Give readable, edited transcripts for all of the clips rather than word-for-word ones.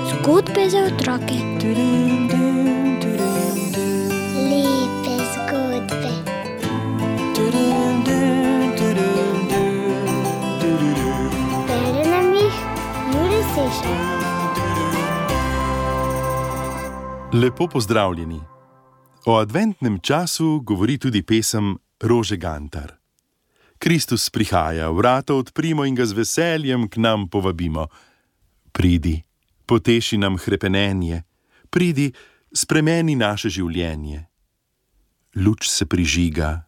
Zgodbe za otroke. Lepe zgodbe. Bere nam jih Jure Sešar. Lepo pozdravljeni. O adventnem času govori tudi pesem Rože Gantar. Kristus prihaja, vrata odprimo in ga z veseljem k nam povabimo. Pridi, poteši nam hrepenenje, pridi, spremeni naše življenje. Luč se prižiga,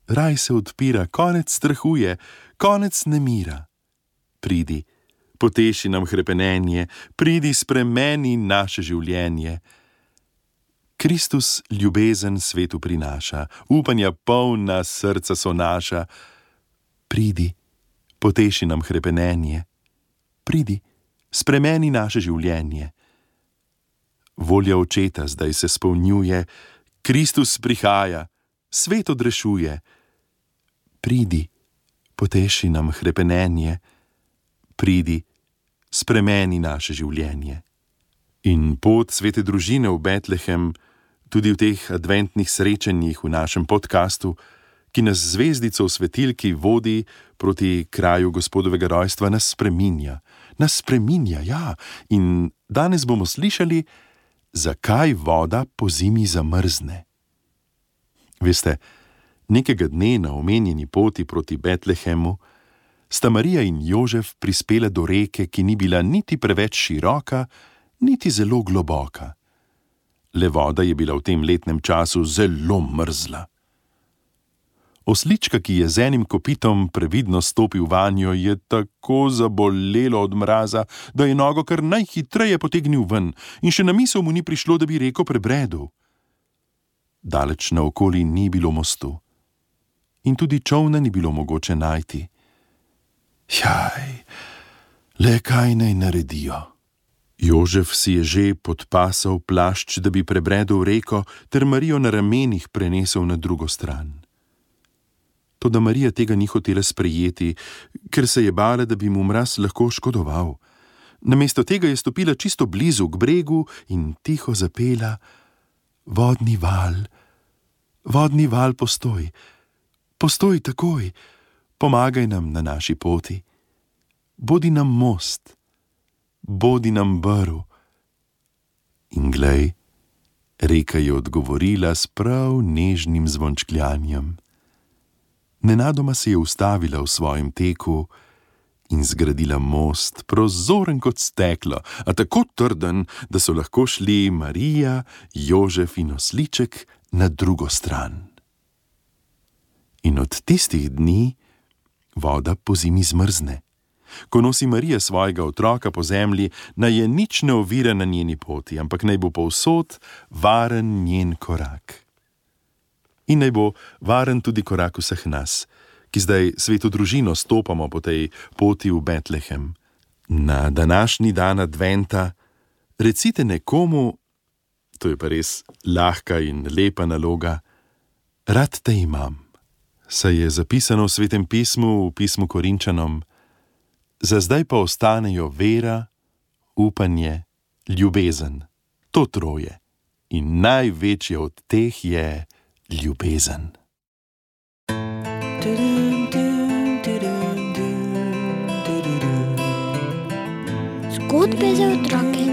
raj se odpira, konec strahuje, konec nemira. Pridi, poteši nam hrepenenje, pridi, spremeni naše življenje. Kristus ljubezen svetu prinaša, upanja polna srca so naša. Pridi, poteši nam hrepenenje, pridi, spremeni naše življenje. Volja Očeta zdaj se spolnjuje, Kristus prihaja, svet odrešuje. Pridi, poteši nam hrepenenje, pridi, spremeni naše življenje. In pot svete družine v Betlehem, tudi v teh adventnih srečanjih v našem podkastu, ki nas zvezdico v svetilki vodi proti kraju Gospodovega rojstva, nas spreminja, ja. In danes bomo slišali, zakaj voda pozimi zamrzne. Veste, nekega dne na omenjeni poti proti Betlehemu sta Marija in Jožef prispela do reke, ki ni bila niti preveč široka, niti zelo globoka. Le voda je bila v tem letnem času zelo mrzla. Oslička, ki je z enim kopitom previdno stopil vanjo, je tako zabolelo od mraza, da je nogo kar najhitreje potegnil ven in še na misel mu ni prišlo, da bi reko prebredel. Daleč naokoli ni bilo mostu in tudi čolna ni bilo mogoče najti. Jaj, le kaj naj naredijo? Jožef si je že podpasal plašč, da bi prebredel reko, ter Marijo na ramenih prenesel na drugo stran. Toda Marija tega ni hotela sprejeti, ker se je bala, da bi mu mraz lahko škodoval. Namesto tega je stopila čisto blizu k bregu in tiho zapela: Vodni val, postoj, postoj takoj, pomagaj nam na naši poti. Bodi nam most, bodi nam brv. In glej, reka je odgovorila s prav nežnim zvončkljanjem. Nenadoma se je ustavila v svojem teku in zgradila most, prozoren kot steklo, a tako trden, da so lahko šli Marija, Jožef in osliček na drugo stran. In od tistih dni voda pozimi zmrzne. Ko nosi Marija svojega otroka po zemlji, naj je nič ne ovira na njeni poti, ampak naj bo povsod varen njen korak. In naj bo varen tudi korak vseh nas, ki zdaj sveto družino stopamo po tej poti v Betlehem. Na današnji dan adventa recite nekomu, to je pa res lahka in lepa naloga: Rad te imam. Saj je zapisano v Svetem pismu, v pismu Korinčanom: Za zdaj pa ostanejo vera, upanje, ljubezen. To troje. In največje od teh je ljubezen. Zgodbe za otroke.